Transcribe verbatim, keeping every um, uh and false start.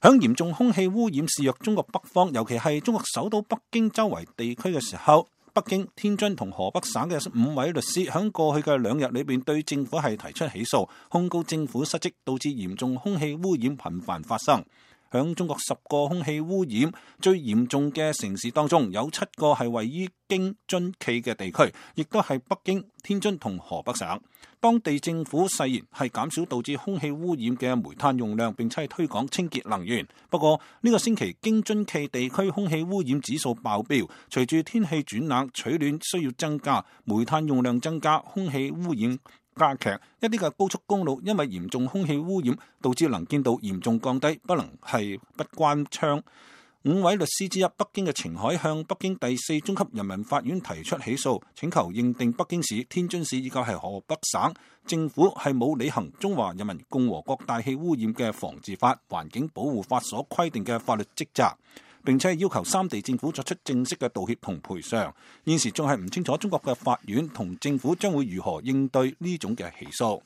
響嚴重空氣污染肆虐中國北方，尤其係中國首都北京周圍地區嘅時候，北京、天津同河北省嘅五位律師響過去嘅兩日裏邊對政府係提出起訴，控告政府失職，導致嚴重空氣污染頻繁發生。響中國十個空氣污染最嚴重嘅城市當中，有七個係位於京津冀嘅地區，亦都係北京、天津同河北省。當地政府誓言係減少導致空氣污染嘅煤炭用量，並且係推廣清潔能源。不過呢個星期京津冀地區空氣污染指數爆標，隨住天氣轉冷，取暖需要增加，煤炭用量增加，空氣污染加劇。一啲嘅高速公路因為嚴重空氣污染，導致能見度嚴重降低，不能係不關窗。五位律師之一，北京嘅程海向北京第四中級人民法院提出起訴，請求認定北京市、天津市以及係河北省政府係冇履行《中華人民共和國大氣污染嘅防治法》、環境保護法所規定嘅法律職責，並且係要求三地政府作出正式嘅道歉同賠償。現時仲係唔清楚中國嘅法院同政府將會如何應對呢種嘅起訴。